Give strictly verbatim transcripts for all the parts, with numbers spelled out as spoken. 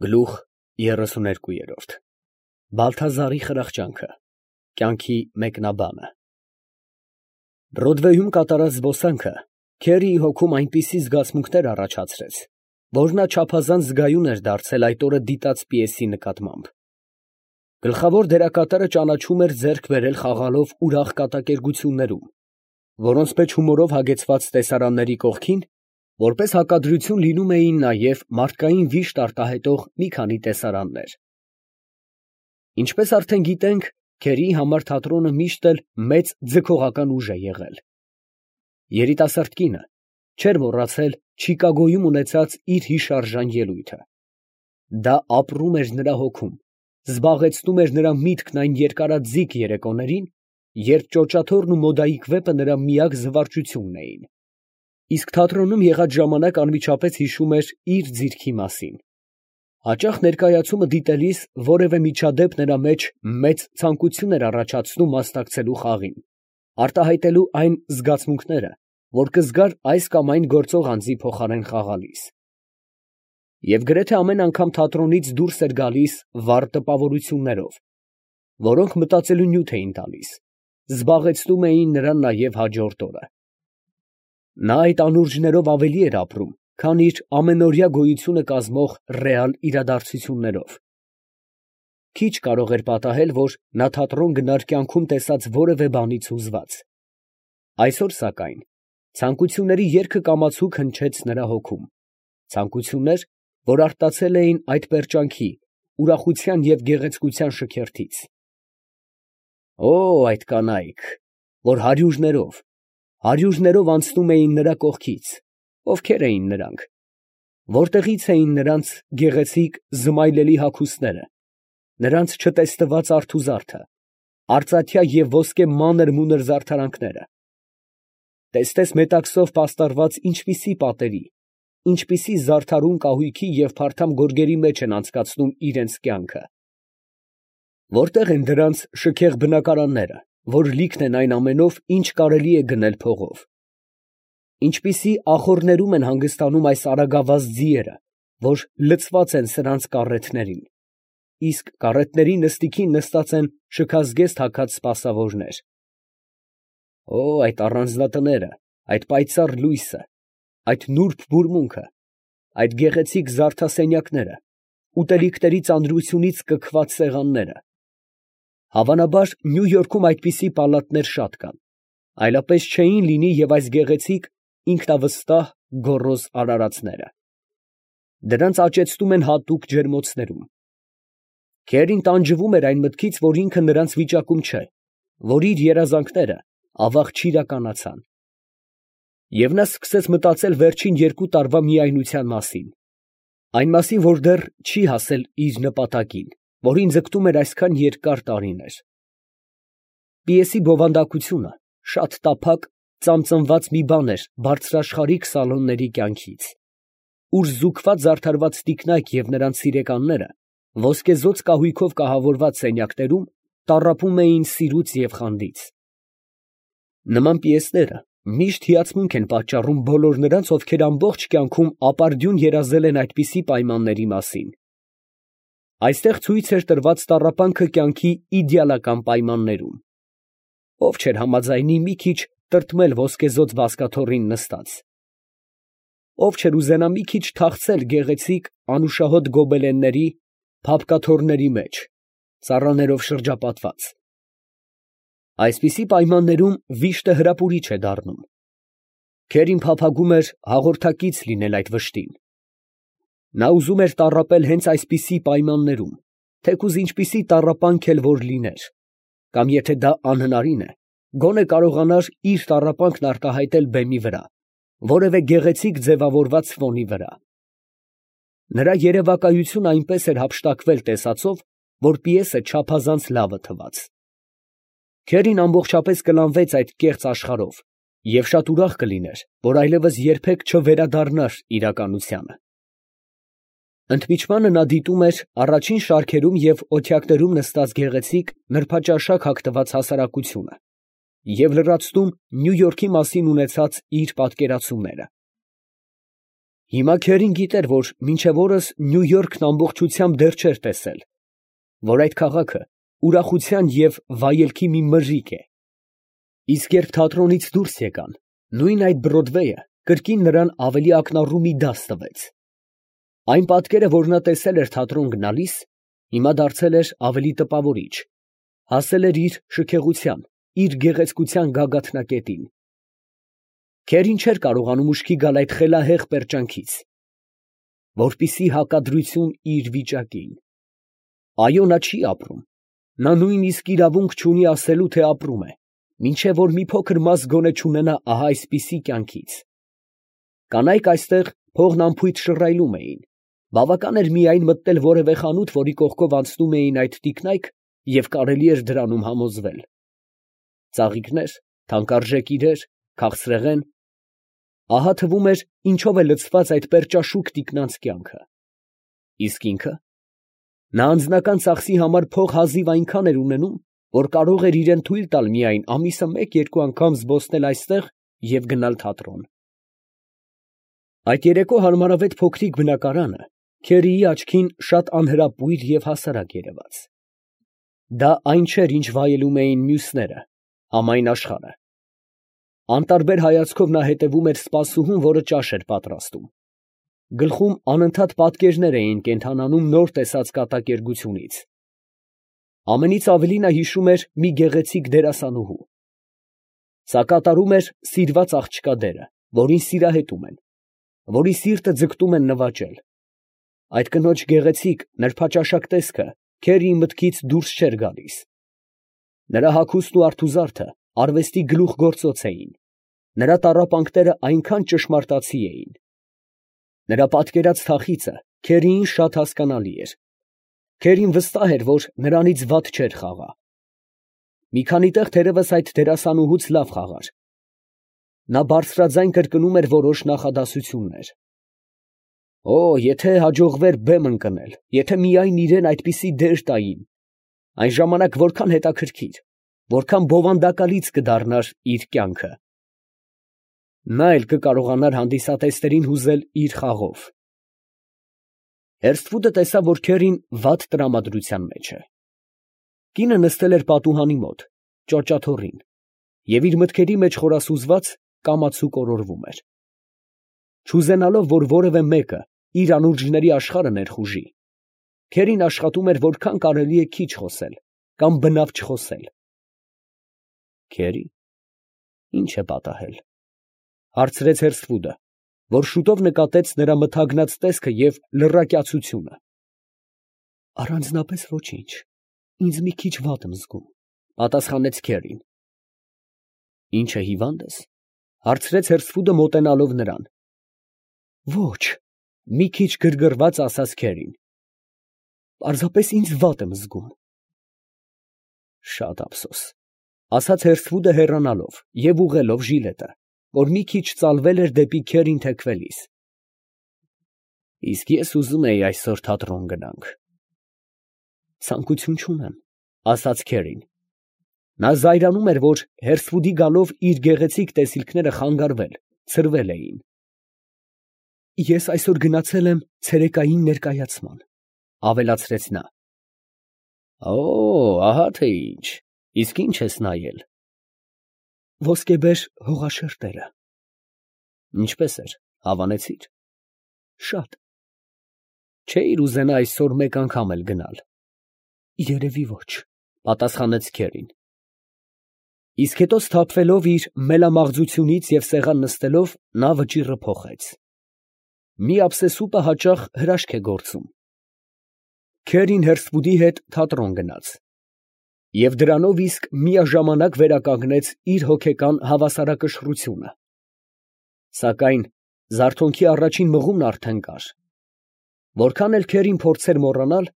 Գլուխ երեսուներկու Բալթազարի խրախճանքը, կյանքի մեկնաբանը Բրոդվեյում կատարած զբոսանքը Քերիի հոգում այնպիսի զգացմունքներ առաջացրեց, որ նա չափազանց զգայուն էր դարձել այդ օրը դիտած պիեսի նկատմամբ։ Գլխավոր դերակատարը ճանաչում էր ձեռք բերել խաղալով ուրախ կատակերգություններում, որոնց մեջ հումորով հագեցված տեսարանների կողքին, որպես հակադրություն լինում էին նաև մարդկային վիշտ արտահայտող մի քանի տեսարաններ։ Ինչպես արդեն գիտենք, Քերիի համար թատրոնը միշտ էլ մեծ ձգողական ուժ է եղել։ Երիտասարդ կինը չէր մոռացել Չիկագոյում ունեցած իր հիշարժան ելույթը։ Դա ապրում էր նրա հոգում, զբաղեցնում էր նրա միտքն այն երկարաձիգ երեկոներին, երբ ճոճաթոռն ու մոդայիկ վեպը նրա միակ զվարճությունն էին։ Իսկ թատրոնում եղած ժամանակ անմիջապես հիշում էր իր ձիրքի մասին։ Հաճախ ներկայացումը դիտելիս որևէ միջադեպ նրա մեջ մեծ ցանկություն էր առաջացնում մասնակցելու խաղին, արտահայտելու այն զգացմունքները, որ կզգար այս կամ այն գործող անձի փոխարեն խաղալիս։ Եվ գրեթե ամեն անգամ թատրոնից դուրս էր գալիս վառ տպավորություններով, որոնք մտածելու նյութ էին տալիս, զբաղեցնում էին նրան նաև հաջորդ օրը։ Նա այդ անուրջներով ավելի էր ապրում, քան իր ամենօրյա գոյությունը կազմող ռեալ իրադարձություններով։ Քիչ կարող էր պատահել, որ նա թատրոն գնար կյանքում տեսած որևէ բանից հուզված։ Այսօր, սակայն, ցանկությունների երգը կամացուկ հնչեց նրա հոգում, ցանկություններ, որ արտացել էին այդ պերճանքի, ուրախության և գեղեցկության շքերթից։ Օ՜, այդ կանայք, որ հարյուրներով, հարյուրներով անցնում էին նրա կողքից, ովքե՞ր էին նրանք, որտեղի՞ց էին նրանց գեղեցիկ զմայլելի հագուստները, նրանց չտեսնված արթուզարդը, արծաթյա և ոսկե մանր֊մունր զարդարանքները։ Տեսնես մետաքսով պաստառված ինչպիսի պատերի, ինչպիսի զարդարուն կահույքի և փարթամ գորգերի մեջ են անցկացնում իրանց կյանքը։ Որտե՞ղ են դրանց շքեղ բնակարանները, որ լիքն են այն ամենով, ինչ կարելի է գնել փողով։ Ինչպիսի ախոռներում են հանգստանում այս արագավազ ձիերը, որ լցված են սրանց կառեթներին, իսկ կառեթների նստիքին նստած են շքազգեստ հագած սպասավորներ։ Օ՜, այդ առանձնատները, այդ պայծառ լույսը, այդ նուրբ բուրմունքը, այդ գեղեցիկ զարդասենյակները, ուտելիքների ծանրությունից կքված սեղանները։ Հավանաբար Նյու Յորքում այդպիսի պալատներ շատ կան, այլապես չէին լինի և այս գեղեցիկ, ինքնավստահ, գոռոզ արարածները։ Դրանց աճեցնում են հատուկ ջերմոցներում։ Քերին տանջվում էր այն մտքից, որ ինքը նրանց վիճակում չէ, որ իր երազանքները ավաղ չիրականացան։ Եվ նա սկսեց մտածել վերջին երկու տարվա միայնության մասին, այն մասին, որ դեռ չի հասել իր նպատակին, որին ձգտում էր այսքան երկար տարիներ։ Պիեսի բովանդակությունը շատ տափակ, ծամծմված մի բան էր բարձրաշխարհիկ սալոնների կյանքից, ուր զուգված զարդարված տիկնայք և նրանց սիրեկանները ոսկեզօծ կահույքով կահավորված սենյակներում տառապում էին սիրուց և խանդից։ Նման պիեսները միշտ հիացմունք են պատճառում բոլոր նրանց, ովքեր ամբողջ կյանքում ապարդյուն երազել են այդպիսի պայմանների մասին։ Այստեղ ցույց էր տրված տառապանքը կյանքի իդեալական պայմաններում։ Ով չէր համաձայնի մի քիչ տրտմել ոսկեզօծ բազկաթոռին նստած։ Ով չէր ուզենա մի քիչ թախծել գեղեցիկ անուշահոտ գոբելենների, փափկաթոռների մեջ, ծառաներով շրջապատված։ Այսպիսի պայմաններում վիշտը հրապուրիչ է դառնում։ Քերին փափագում էր հաղորդակից լինել այդ վշտին։ Նա ուզում էր տառապել հենց այսպիսի պայմաններում, թեկուզ ինչպիսի տառապանք էլ որ լիներ, կամ եթե դա անհնարին է, գոնե կարողանար իր տառապանքն արտահայտել բեմի վրա, որևէ գեղեցիկ ձևավորված ֆոնի վրա։ Նրա երևակայությունը այնպես էր հափշտակվել տեսածով, որ պիեսը չափազանց լավը թվաց։ Քերին ամբողջապես կլանվեց այդ կեղծ աշխարհով և շատ ուրախ կլիներ, որ այլևս երբեք չվերադառնար իրականությանը։ Ընդմիջմանը նա դիտում էր առաջին շարքերում և օթյակներում նստած գեղեցիկ նրբաճաշակ հագնված հասարակությունը և լրացնում Նյու Յորքի մասին ունեցած իր պատկերացումները։ Հիմա Քերին գիտեր, որ մինչև օրս Նյու Յորքն ամբողջությամբ դեռ չէր տեսել, որ այդ քաղաքը ուրախության և վայելքի մի մրրիկ է. իսկ երբ թատրոնից դուրս եկան, նույն այդ Բրոդվեյը կրկին նրան ավելի ակնառու մի դաս տվեց. այն պատկերը, որ նա տեսել էր թատրոն գնալիս, հիմա դարձել էր ավելի տպավորիչ, հասել էր իր շքեղության, իր գեղեցկության գագաթնակետին։ Քերին չէր կարողանում ուշքի գալ այդ խելահեղ պերճանքից, որպիսի հակադրություն իր վիճակին։ Այո, նա չի ապրում, նա նույնիսկ իրավունք չունի ասելու, թե ապրում է, մինչև որ մի փոքր մաս գոնե չունենա ահա այսպիսի կյանքից։ Կանայք այստեղ փողն անփույթ շռայլում էին, բավական էր միայն մտնել որևէ խանութ, որի կողքով անցնում էին այդ տիկնայք, և կարելի էր դրանում համոզվել։ Ծաղիկներ, թանկարժեք իրեր, քաղցրեղեն, ահա թվում էր, ինչով է լցված այդ պերճաշուք տիկնանց կյանքը։ Իսկ ինքը, նա անձնական ծախսի համար փող հազիվ այնքան էր ունենում, որ կարող էր իրան թույլ տալ միայն ամիսը մեկ֊երկու անգամ զբոսնել այստեղ և գնալ թատրոն։ Այդ երեկո հարմարավետ փոքրիկ բնակարանը Քերիի աչքին շատ անհրապույր և հասարակ երևաց։ Դա այն չէր, ինչ վայելում էին մյուսները, համայն աշխարհը։ Անտարբեր հայացքով նա հետևում էր սպասուհուն, որը ճաշ էր պատրաստում։ Գլխում անընդհատ պատկերներ էին կենդանանում նոր տեսած կատակերգությունից։ Ամենից ավելի նա հիշում էր մի գեղեցիկ դերասանուհու։ Սա կատարում էր սիրված աղջկա դերը, որին սիրահետում են, որի սիրտը ձգտում են նվաճել։ Այդ կնոջ գեղեցիկ, նրբաճաշակ տեսքը Քերիի մտքից դուրս չէր գալիս։ Նրա հագուստն ու արթուզարդը արվեստի գլուխգործոց էին, նրա տառապանքները այնքան ճշմարտացի էին։ Նրա պատկերած թախիծը Քերիին շատ հասկանալի էր։ Քերին վստահ էր, որ նրանից վատ չէր խաղա։ Մի քանի տեղ թերևս այդ դերասանուհուց լավ խաղար։ Նա բարձրաձայն կրկնում էր որոշ նախադասություններ։ Օ, եթե հաջողվեր բեմ ընկնել, եթե միայն իրան այդպիսի դեր տային, այն ժամանակ որքան հետաքրքիր, որքան բովանդակալից կդառնար իր կյանքը։ Նա էլ կկարողանար հանդիսատեսներին հուզել իր խաղով։ Հերսթվուդը տեսավ, որ Քերին վատ տրամադրության մեջ է։ Կինը նստել էր պատուհանի մոտ, ճոճաթոռին, և իր մտքերի մեջ խորասուզված կամացու կորորվում էր։ Չուզենալով, որ որևէ մեկը իր անուրջների աշխարհը ներխուժի, Քերին աշխատում էր որքան կարելի է քիչ խոսել կամ բնավ չխոսել։ Քերի, ի՞նչ է պատահել, հարցրեց Հերսթվուդը, որ շուտով նկատեց նրա մթագնած տեսքը և լռակյացությունը։ Առանձնապես ոչինչ, ինձ մի քիչ վատ եմ զգում, պատասխանեց Քերին։ Ի՞նչ է, հիվա՞նդ ես, հարցրեց Հերսթվուդը մոտենալով նրան։ Ոչ, մի քիչ գրգռված ասաց Քերին։ Պարզապես ինձ վատ եմ զգում։ Շատ ափսոս, ասաց Հերսթվուդը հեռանալով և ուղղելով ժիլետը, որ մի քիչ ծալվել էր դեպի Քերին թեքվելիս։ Իսկ ես ուզում էի այսօր թատրոն գնանք։ Ցանկություն չունեմ, ասաց Քերին։ Նա զայրանում էր, որ Հերսթվուդի գալով իր գեղեցիկ տեսիլքները խանգարվել, ցրվել էին։ Ես այսօր գնացել եմ ցերեկային ներկայացման, ավելացրեց նա։ Օ, ահա թե ինչ, իսկ ի՞նչ ես նայել։ Ոսկեբեր հողաշերտերը։ Ինչպես էր, հավանեցի՞ր։ Շատ։ Չէիր ուզենա այսօր մեկ անգամ էլ գնալ։ Երևի ոչ, պատասխանեց Քերին։ Իսկ հետո սթափվելով իր մելամաղձությունից և սեղան նստելով, նա վճիռը փոխեց։ Մի ափսեսուպը հաճախ հրաշք է գործում։ Քերին Հերսթվուդի հետ թատրոն գնաց և դրանով իսկ միաժամանակ վերականգնեց իր հոգեկան հավասարակշռությունը։ Սակայն զարթոնքի առաջին մղումն արդեն կար։ Որքան էլ Քերին փորձեր մոռանալ,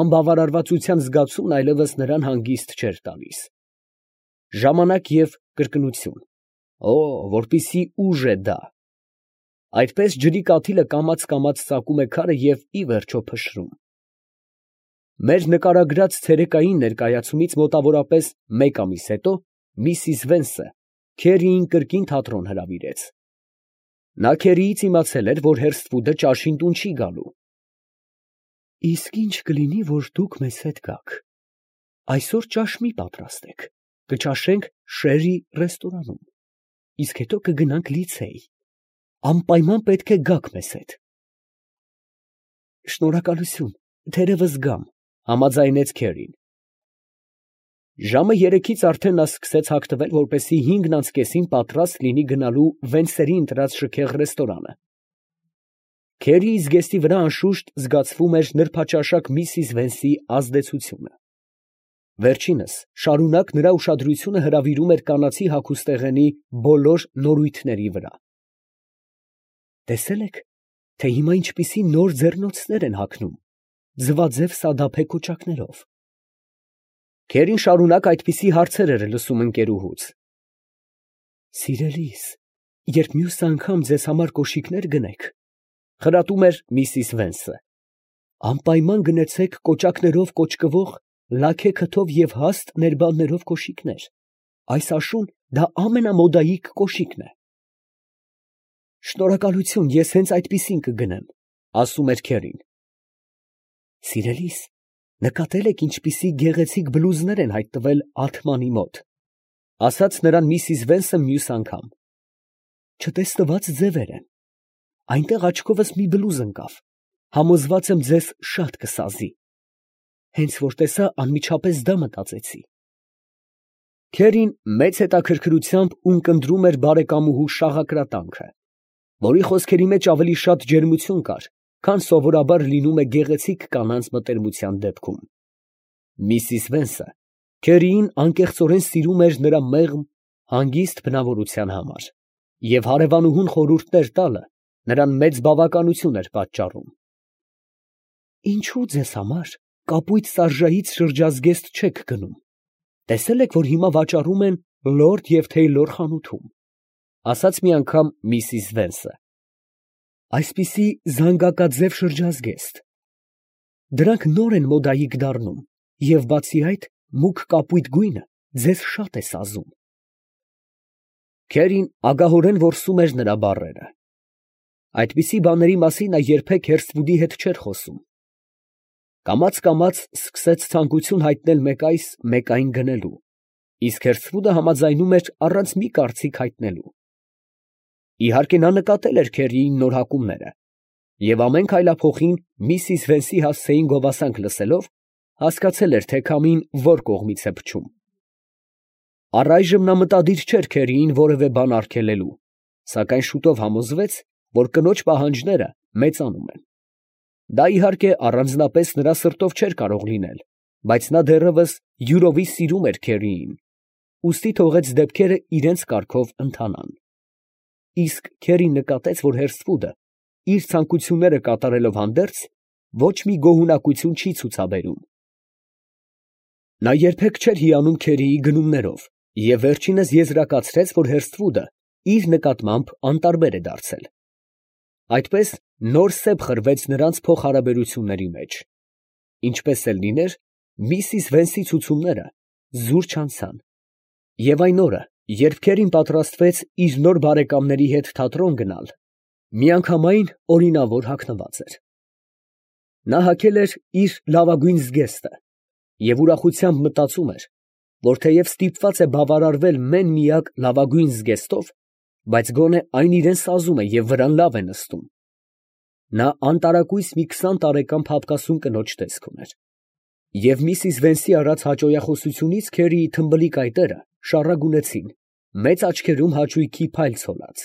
անբավարարվածության զգացումն այլևս նրան հանգիստ չէր տալիս։ Ժամանակ և կրկնություն։ Օ, որպիսի ուժ է դա։ Այդպես ջրի կաթիլը կամաց֊կամաց ծակում է քարը և ի վերջո փշրում։ Մեր նկարագրած ցերեկային ներկայացումից մոտավորապես մեկ ամիս հետո միսիս Վենսը Քերիին կրկին թատրոն հրավիրեց։ Նա Քերիից իմացել էր, որ Հերսթվուդը ճաշին տուն չի գալու։ Իսկ ինչ կլինի, որ դուք մեզ հետ գաք։ Այսօր ճաշ մի պատրաստեք, կճաշենք Շերի ռեստորանում, իսկ հետո կգնանք լիցեյ։ Անպայման պետք է գաք մեզ հետ։ Շնորհակալություն, թերևս գամ, համաձայնեց Քերին։ Ժամը երեքից արդեն նա սկսեց հագնվել, որպեսզի հինգն անց կեսին պատրաստ լինի գնալու Վենսերի ընտրած շքեղ ռեստորանը։ Քերիի զգեստի վրա անշուշտ զգացվում էր նրբաճաշակ միսիս Վենսի ազդեցությունը։ Վերջինս շարունակ նրա ուշադրությունը հրավիրում էր կանացի հագուստեղենի բոլոր նորույթների վրա։ Տեսե՞լ եք, թե հիմա ինչպիսի նոր ձեռնոցներ են հագնում, ձվաձև սադափե կոճակներով։ Քերին շարունակ այդպիսի հարցեր էր լսում ընկերուհուց։ Սիրելիս, երբ մյուս անգամ ձեզ համար կոշիկներ գնեք, խրատում էր միսիս Վենսը, անպայման գնեցեք կոճակներով կոճկվող լաքե քթով և հաստ ներբաններով կոշիկներ։ Այս աշուն դա ամենամոդայիկ կոշիկն է։ Շնորհակալություն, ես հենց այդպիսին կգնեմ, ասում էր Քերին։ Սիրելիս, նկատել եք ինչպիսի գեղեցիկ բլուզներ են հայտնվել Ալթմանի մոտ, ասաց նրան միսիս Վենսը մյուս անգամ։ Չտեսնված ձևեր են։ Այնտեղ աչքովս մի բլուզ ընկավ, համոզված եմ ձեզ շատ կսազի։ Հենց որ տեսա, անմիջապես դա մտածեցի։ Քերին մեծ հետաքրքրությամբ ունկնդրում էր բարեկամուհու շաղակրատանքը, որի խոսքերի մեջ ավելի շատ ջերմություն կար, քան սովորաբար լինում է գեղեցիկ կանանց մտերմության դեպքում։ Միսիս Վենսը Քերիին անկեղծորեն սիրում էր նրա մեղմ, հանգիստ բնավորության համար, և հարևանուհուն խորհուրդներ տալը նրան մեծ բավականություն էր պատճառում։ Ինչու ձեզ համար կապույտ սարժայից շրջազգեստ չեք գնում։ Տեսել եք, որ հիմա վաճառում են Լորդ և Թեյլոր խանութում, ասաց մի անգամ միսիս Վենսը։ Այսպիսի զանգակաձև շրջազգեստ։ Դրանք նոր են մոդայիկ դառնում, և բացի այդ, մուգ կապույտ գույնը ձեզ շատ է սազում։ Քերին ագահորեն որսում էր նրա բառերը։ Այդպիսի բաների մասին նա երբեք Հերսթվուդի հետ չէր խոսում։ Կամաց֊կամաց սկսեց ցանկություն հայտնել մեկ այս, մեկ այն գնելու, իսկ Հերսթվուդը համաձայնում էր առանց մի կարծիք հայտնելու։ Իհարկե նա նկատել էր Քերիի նոր հակումները, և ամեն քայլափոխին միսիս Վենսի հասցեին գովասանք լսելով, հասկացել էր, թե քամին որ կողմից է փչում։ Առայժմ նա մտադիր չէր Քերիին որևէ բան արգելելու, սակայն շուտով համոզվեց, որ կնոջ պահանջները մեծանում են։ Դա իհարկե առանձնապես նրա սրտով չէր կարող լինել, բայց նա դեռևս յուրովի սիրում էր Քերիին, ուստի թողեց դեպքերը իրենց կարգով ընթանան։ Իսկ Քերին նկատեց, որ Հերսթվուդը իր ցանկությունները կատարելով հանդերձ ոչ մի գոհունակություն չի ցուցաբերում։ Նա երբեք չէր հիանում Քերիի գնումներով և վերջինս եզրակացրեց, որ Հերսթվուդը իր նկատմամբ անտարբեր է դարձել։ Այդպես նոր սեպ խրվեց նրանց փոխհարաբերությունների մեջ։ Ինչպես էլ լիներ, միսիս Վենսի ցուցումները զուր չանցան, և այն օրը, երբ Քերին պատրաստվեց իր նոր բարեկամների հետ թատրոն գնալ, միանգամայն օրինավոր հագնված էր։ Նա հագել էր իր լավագույն զգեստը և ուրախությամբ մտածում էր, որ թեև ստիպված է բավարարվել մեն֊միակ լավագույն զգեստով, բայց գոնե այն իրան սազում է և վրան լավ է նստում։ Նա անտարակույս մի քսան տարեկան փափկասուն կնոջ տեսք ուներ։ Եվ միսիս Վենսի արած հաճոյախոսությունից Քերիի թմբլիկ այտերը շառագունեցին, մեծ աչքերում հաճույքի փայլ ցոլած։